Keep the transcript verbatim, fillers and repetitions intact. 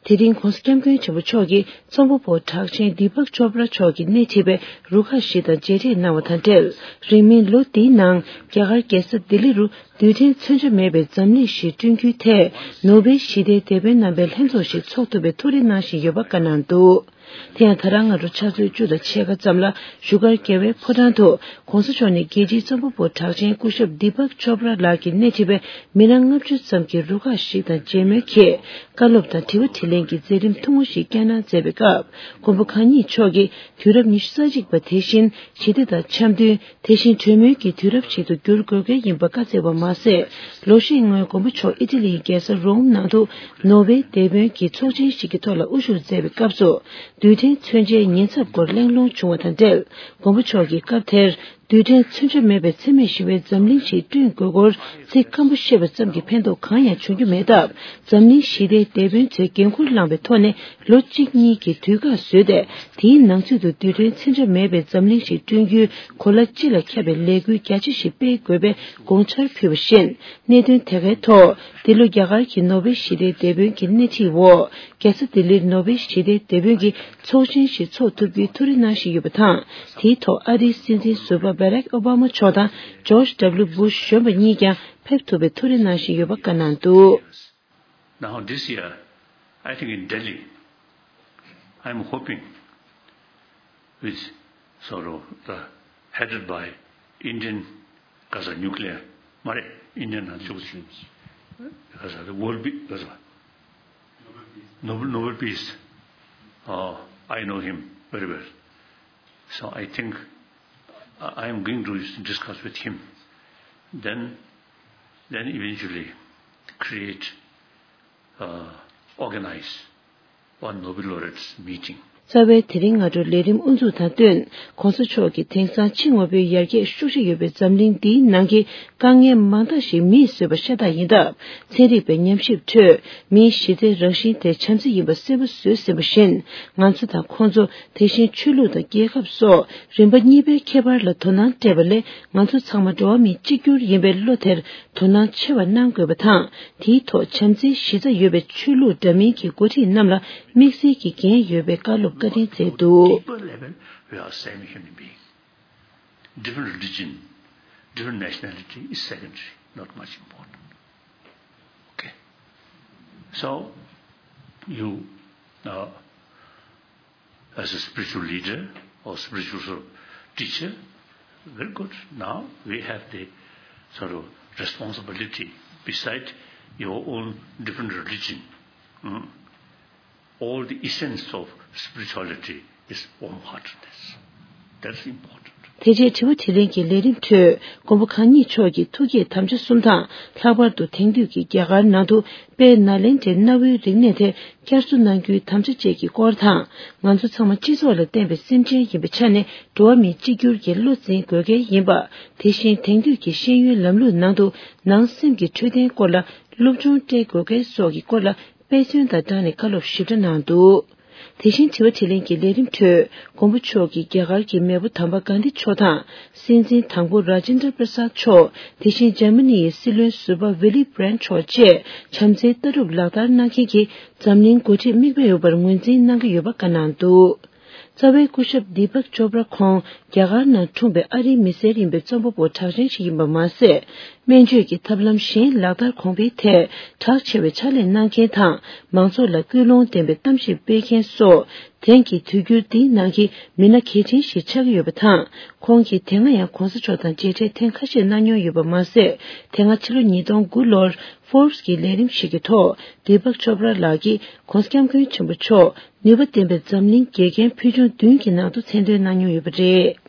དེ་རིང་༸གོང་ས་༸སྐྱབས་མགོན་ཆེན་པོ་མཆོག་གིས་རྩོམ་པ་པོ་གྲགས་ཅན་དི་པག་ཅོབ་ར་མཆོག་གིས་སྣེ་ཁྲིད་པའི་རུ་ཁག་ཞིག་དང་མཇལ་འཕྲད་གནང་བ་དང་འབྲེལ། རིང་མིན་ལོ་འདིའི་ནང་རྒྱ་གར་རྒྱལ་ས་ལྡི་ལི་རུ་རྡུལ་ཕྲན་མཚོན་ཆ་མེད་པའི་འཛམ་གླིང་ཞིག་བསྐྲུན་རྒྱུའི་ཐད་ནོ་བེལ་ཞི་བདེའི་དེད་དཔོན་རྣམ་པའི་ལྷན་ཚོགས་ཤིག་འཚོགས་ཐུབ་པའི་ཐུགས་རེ་གནང་བཞིན་ཡོད་པ་བཀའ་གནང་འདུག་དེ་ཡང་ད་རང་སྔ་དྲོ་ཆུ་ཚོད་བཅུ་དང་ཕྱེད་ཀ་ཙམ་ལ་བཞུགས་སྒར་རྒྱལ་བའི་ཕོ་བྲང་དུ་༸གོང་ས་མཆོག་ནས་རྒྱལ་སྤྱིའི་རྩོམ་པ་པོ་གྲགས་ཅན་སྐུ་ཞབས་དི་པག་ཅོབ་ར་ལགས་ཀྱིས་སྣེ་ཁྲིད་པའི་མི་སྣ་ལྔ་བཅུ་ཙམ་གྱི་རུ་ཁག་ཞིག་དང་མཇལ་མོལ་གྱིས་བཀའ་སློབ་དང་དྲི་བ་དྲིས་ལན་གྱི་མཛད་རིམ་ཐུང་ངུ་ཞིག་བསྐྱངས་གནང་མཛད་པའི་སྐབས། མགོན་པོ་གང་ཉིད་མཆོག་གིས་དུས་རབས་ཉི་ཤུ་རྩ་གཅིག་པ་དེ་བཞིན་ཞི་བདེ་དང་འཆམ་མཐུན། དེ་བཞིན་གྲོས་མོལ་གྱི་དུས་རབས་ཤིག་ཏུ་འགྱུར་དགོས་གལ་ཡིན་པ་བཀའ་སྩལ་བ་མ་ཟད། ལོ་ཤས་སྔོན་མགོན་པོ་མཆོག་ཨི་ཊ་ལིའི་རྒྱལ་ས་རོམ་ནང་དུ་ནོ་བེལ་དེད་དཔོན་གྱི་ཚོགས་ཆེན་ཞིག་གི་ཐོག་ལ་དབུ་བཞུགས་མཛད་པའི་སྐབས་སུ། རྡུལ་ཕྲན་མཚོན་ཆའི་ཉེན་ཚབས་སྐོར་གླེང་སློང་བྱུང་བ་དང་འབྲེལ། མགོན་པོ་མཆོག་གིས་སྐབས་དེར་རྡུལ་ཕྲན་མཚོན་ཆ་མེད་པའི་འཚེ་མེད་ཞི་བའི་འཛམ་གླིང་ཞིག་བསྐྲུན་དགོས་སྐོར་ཚིག་སྐམ་པོ་བཤད་པ་ཙམ་གྱིས་ཕན་ཐོགས་གང་ཡང་བྱུང་རྒྱུ་མེད་སྟབས། འཛམ་གླིང་ཞི་བདེའི་དེད་དཔོན་ཚོས་འགན་འཁུར་བླངས་པའི་ཐོག་ནས་ལོ་གཅིག་གཉིས་ཀྱི་དུས་བཀག་བཟོས་ཏེ། དེའི་ནང་ཚུད་དུ་རྡུལ་ཕྲན་མཚོན་ཆ་མེད་པའི་འཛམ་གླིང་ཞིག་བསྐྲུན་རྒྱུའི་གོ་ལ་སྤྱི་ལ་ཁྱབ་པའི་ལས་འགུལ་རྒྱ་ཆེ་ཞིག་སྤེལ་དགོས་པའི་དགོངས་འཆར་ཕུལ་བ་བཞིན། གནད་དོན་དེ་གའི་ཐོག་འདི་ལོ་རྒྱ་གར་གྱི་ནོ་བེལ་ཞི་བདེའི་དེད་དཔོན་གྱི་སྣེ་ཁྲིད་འོག་རྒྱལ་ས་ལྡི་ལིར་ནོ་བེལ་ཞི་བདེའི་དེད་དཔོན་གྱི་ཚོགས་ཆེན་ཞིག་འཚོགས་ཐུབ་རྒྱུའི་ཐུགས་རེ་གནང་བཞིན་ཡོད་པ་དང་། དེའི་ཐོག་ཨ་རིའི་སྲིད་འཛིན་ཟུར་པ་བྷ་རག་ཨོ་བྷ་མ་མཆོག་དང་ཇོརྗ་ཌབ་ལུ་བྷུཤ་གཞོན་པ་གཉིས་ཀྱང་ཕེབས་ཐུབ་པའི་ཐུགས་རེ་གནང་བཞིན་ཡོད་པ་བཀའ་གནང་འདུག Now, this year, I think in Delhi, I'm hoping with sort of the headed by Indian Gaza nuclear, Mare, Indian Gaza will be Gaza. Nobel, Nobel Peace. Uh, I know him very well. So I think I am going to discuss with him. Then, then eventually create, uh, organize one Nobel laureates meeting. རྩ་བའི་དེ་རིང་སྔ་དྲོ་ལས་རིམ་དབུ་འཛུགས་དང་བསྟུན། ༸གོང་ས་མཆོག་གིས་དེང་སང་ཕྱི་དངོས་པོའི་ཡར་རྒྱས་ཤུགས་ཆེ་ཡོད་པའི་འཛམ་གླིང་འདིའི་ནང་གི་དཀའ་ངལ་མང་དག་ཞིག་མིས་བཟོས་པ་ཤ་སྟག་ཡིན་སྟབས། ཚན་རིག་པའི་ཉམས་ཞིབ་ཁྲོད་མིའི་གཞི་རྩའི་རང་བཞིན་དེ་བྱམས་བརྩེ་ཡིན་པ་གསལ་པོ་བཟོས་ཟིན་པ་བཞིན། ང་ཚོ་དང་ཁོང་ཚོ། དེ་བཞིན་ཆོས་ལུགས་དང་རྒྱལ་ཁབ་སོགས་རིམ་པ་གཉིས་པའི་ཁྱད་པར་ལ་དོ་སྣང་སྤྲད་པ་ལས། ང་ཚོ་ཚང་མ་འགྲོ་བ་མི་གཅིག་གྱུར་ཡིན་པའི་བློ་དེར་དོ་སྣང་ཆེ་བ་གནང་དགོས་པ་དང་། དེའི་ཐོག་བྱམས་བརྩེའི་གཞི་རྩ་ཡོད་པའི་ཆོས་ལུགས་འདྲ་མིན་གྱི་འགོ་ཁྲིད་རྣམས་ལ་དམིགས་བསལ་གྱི་འགན་ཡོད་པའི་བཀའ་སློབ་བཀའ་དྲིན་སྩལ་འདུག Deeper level, we are same human being. Different religion, different nationality is secondary, not much important. Okay. So, you, uh, as a spiritual leader or spiritual sort of teacher, very good. Now we have the sort of responsibility beside your own different religion. Mm. All the essence of spirituality is warm-heartedness. That's important. དེ་རྗེས་དྲི་བ་དྲིས་ལན་གྱི་ལས་རིམ་ཁྲོད། མགོན་པོ་གང་ཉིད་མཆོག་གིས་ཐུགས་བསྐྱེད་དམ་བཅའ་གསུམ་དང་། ལྷག་པར་དུ་དེང་དུས་ཀྱི་རྒྱ་གར་ནང་དུ་དཔལ་ནཱ་ལེནྡྲའི་གནའ་བོའི་རིག་གནས་དེ་བསྐྱར་གསོ་གནང་རྒྱུའི་དམ་བཅའ་བཅས་ཀྱི་སྐོར་དང་། ང་ཚོ་ཚང་མ་སྤྱི་ཚོགས་ལ་བརྟེན་པའི་སེམས་ཅན་ཡིན་པའི་ཆ་ནས། འགྲོ་བ་མི་གཅིག་གྱུར་གྱི་བློ་འཛིན་དགོས་གལ་ཡིན་པ། དེ་བཞིན་དེང་དུས་ཀྱི་ཤེས་ཡོན་ལམ་ལུགས་ནང་དུ་ནང་སེམས་ཀྱི་འཕྲོད་བསྟེན་སྐོར་ལ་སློབ་སྦྱོང་སྤྲད་དགོས་གལ་སོགས་ཀྱི་སྐོར་ལ། དཔེ་མཚོན་དང་སྦྲགས་ནས་བཀའ་སློབ་ཞིབ་ཕྲ་གནང་འདུག་དེ་བཞིན་དྲི་བ་དྲིས་ལན་གྱི་ལས་རིམ་ཁྲོད། མགོན་པོ་མཆོག་གིས་རྒྱ་གར་གྱི་མེས་པོ་དམ་པ་གྷན་དྷི་མཆོག་དང་། སྲིད་འཛིན་དང་པོ་རཱ་ཇེན་དྲ་པྲ་སཱད་མཆོག་དེ་བཞིན་འཇར་མ་ནི་ཡི་སྲིད་བློན་ཟུར་པ་ཝི་ལི་བྷི་རན་ཊི་མཆོག་བཅས་བྱམས་བརྩེའི་ལྟ་གྲུབ་ལག་བསྟར་གནང་མཁན་གྱི་འཛམ་གླིང་འགོ་ཁྲིད་མིག་དཔེ་ཡོད་པར་ངོས་འཛིན་གནང་གི་ཡོད་པ་བཀའ་གནང་འདུག་རྩ་བའི་སྐུ་ཞབས་དི་པག་ཅོབ་ར་ཁོང་རྒྱ་གར་ནང་འཁྲུངས་པའི་ཨ་རིའི་མི་སེར་ཡིན་པའི་རྩོམ་པ་པོ་གྲགས་ཅན་ཞིག་ཡིན་པ་མ་ཟད། སྨན་བཅོས་ཀྱི་ཐབས་ལམ་གཞན་ལག་བསྟར་གོང་འཕེལ་ཐད་གྲགས་ཆེ་བའི་ཕྱག་ལས་གནང་མཁན་དང་། མང་ཚོགས་ལ་ཀུན་སློང་ལྡན་པའི་གཏམ་བཤད་སྤེལ་མཁན་སོགས། དེང་གི་དུས་འགྱུར་འདིའི་ནང་གི་མི་སྣ་གལ་ཆེན་ཞིག་ཆགས་ཀྱི་ཡོད་པ་དང་། ཁོང་གིས་དེ་སྔ་ཡང་གོང་ས་མཆོག་དང་མཇལ་འཕྲད་ཐེངས་ཁ་ཤས་གནང་མྱོང་ཡོད་པ་མ་ཟད། དེ་སྔ་ཕྱི་ལོ་ཉིས་སྟོང་དགུ་ལོར་Forbes་གི་ལས་རིམ་ཞིག་གི་ཐོག་དི་པག་ཅོབ་ར་ལགས་ཀྱིས་༸གོང་ས་༸སྐྱབས་མགོན་ཆེན་པོ་མཆོག་ནུས་པ་ལྡན་པའི་འཛམ་གླིང་དགེ་རྒན་ཕུལ་བྱུང་བདུན་གྱི་ནང་དུ་མཚན་འདོན་གནང་མྱོང་ཡོད་པ་རེད།